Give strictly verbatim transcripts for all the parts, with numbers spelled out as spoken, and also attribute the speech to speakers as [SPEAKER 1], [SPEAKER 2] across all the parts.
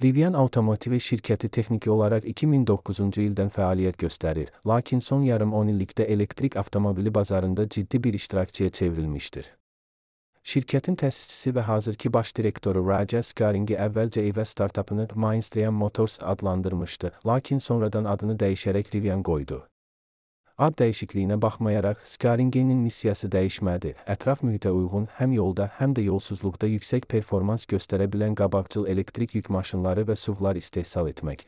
[SPEAKER 1] Rivian Otomotiv şirkəti texniki olaraq iki min doqquzuncu ildən fəaliyyət göstərir, lakin son yarım on illikdə elektrik avtomobili bazarında ciddi bir iştirakçıya çevrilmişdir. Şirkətin təsisçisi və hazırki baş direktoru Raja Skaringi əvvəlcə evə startapını Mainstream Motors adlandırmışdı, lakin sonradan adını dəyişərək Rivian qoydu. Ad dəyişikliyinə baxmayaraq, Skaringe'nin missiyası dəyişmədi, ətraf mühitə uyğun həm yolda, həm də yolsuzluqda yüksək performans göstərə bilən qabaqcıl elektrik yük maşınları və S U V-lar istehsal etmək.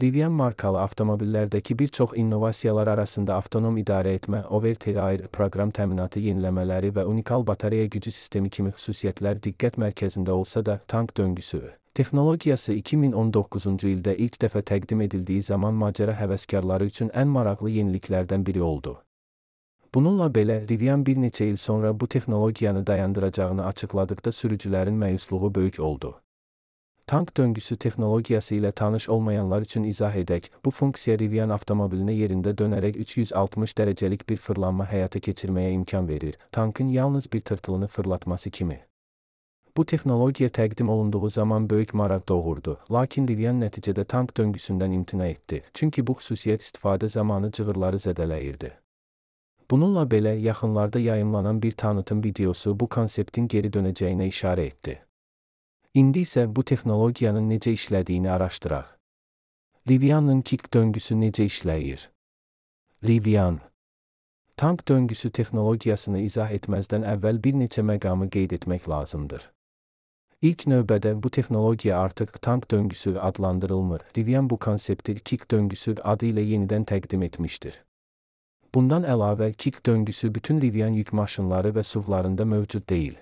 [SPEAKER 1] Rivian markalı avtomobillərdəki bir çox innovasiyalar arasında avtonom idarə etmə, over-the-air proqram təminatı yeniləmələri və unikal batareya gücü sistemi kimi xüsusiyyətlər diqqət mərkəzində olsa da, tank döngüsü texnologiyası iki min on doqquzuncu ildə ilk dəfə təqdim edildiği zaman macəra həvəskarları üçün ən maraqlı yeniliklərdən biri oldu. Bununla belə, Rivian bir neçə il sonra bu texnologiyanı dayandıracağını açıqladıqda sürücülərin məyusluğu böyük oldu. Tank döngüsü texnologiyası ilə tanış olmayanlar üçün izah edək, bu funksiya Rivian avtomobilinə yerində dönərək üç yüz altmış dərəcəlik bir fırlanma həyata keçirməyə imkan verir, tankın yalnız bir tırtılını fırlatması kimi. Bu texnologiya təqdim olunduğu zaman böyük maraq doğurdu, lakin Rivian nəticədə tank döngüsündən imtina etdi, çünki bu xüsusiyyət istifadə zamanı cığırları zədələyirdi. Bununla belə, yaxınlarda yayımlanan bir tanıtım videosu bu konseptin geri dönəcəyinə işarə etdi. İndi isə bu texnologiyanın necə işlədiyini araşdıraq. Rivian'ın kick döngüsü necə işləyir? Rivian tank döngüsü texnologiyasını izah etməzdən əvvəl bir neçə məqamı qeyd etmək lazımdır. İlk növbədə bu texnologiya artıq tank döngüsü adlandırılmır, Rivian bu konsepti kick döngüsü adı ilə yenidən təqdim etmişdir. Bundan əlavə, kick döngüsü bütün Rivian yük maşınları və S U V-larında mövcud deyil.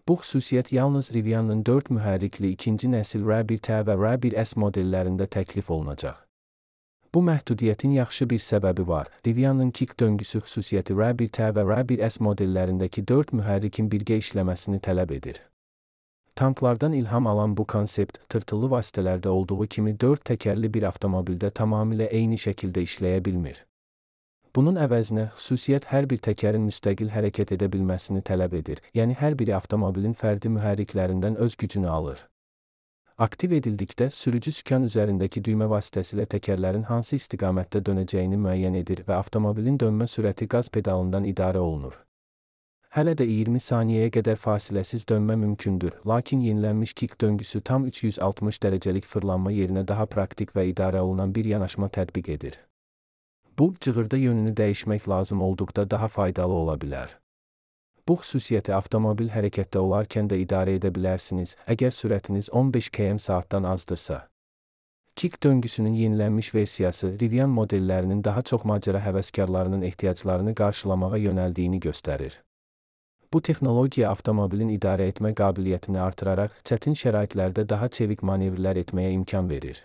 [SPEAKER 1] Bu xüsusiyyət yalnız Rivian'ın dörd mühərrikli ikinci nəsil R bir T və R bir S modellərində təklif olunacaq. Bu məhdudiyyətin yaxşı bir səbəbi var. Rivian'ın kick döngüsü xüsusiyyəti R bir T və R bir S modellərindəki dörd mühərrikin birgə işləməsini tələb edir. Tanklardan ilham alan bu konsept, tırtıllı vasitələrdə olduğu kimi dörd təkərli bir avtomobildə tamamilə eyni şəkildə işləyə bilmir. Bunun əvəzinə, xüsusiyyət hər bir təkərin müstəqil hərəkət edə bilməsini tələb edir, yəni hər biri avtomobilin fərdi mühərriklərindən öz gücünü alır. Aktiv edildikdə, sürücü sükan üzərindəki düymə vasitəsilə təkərlərin hansı istiqamətdə dönəcəyini müəyyən edir və avtomobilin dönmə sürəti qaz pedalından idarə olunur. Hələ də iyirmi saniyəyə qədər fasiləsiz dönmə mümkündür, lakin yenilənmiş kick döngüsü tam üç yüz altmış dərəcəlik fırlanma yerinə daha praktik və idarə olunan bir yanaşma tətbiq edir. Bu, cığırda yönünü dəyişmək lazım olduqda daha faydalı ola bilər. Bu xüsusiyyəti avtomobil hərəkətdə olarkən də idarə edə bilərsiniz, əgər sürətiniz on beş kilometr saatdan azdırsa. Kick döngüsünün yenilənmiş versiyası Rivian modellərinin daha çox macəra həvəskarlarının ehtiyaclarını qarşılamağa yönəldiyini göstərir. Bu texnologiya avtomobilin idarə etmə qabiliyyətini artıraraq çətin şəraitlərdə daha çevik manevrlər etməyə imkan verir.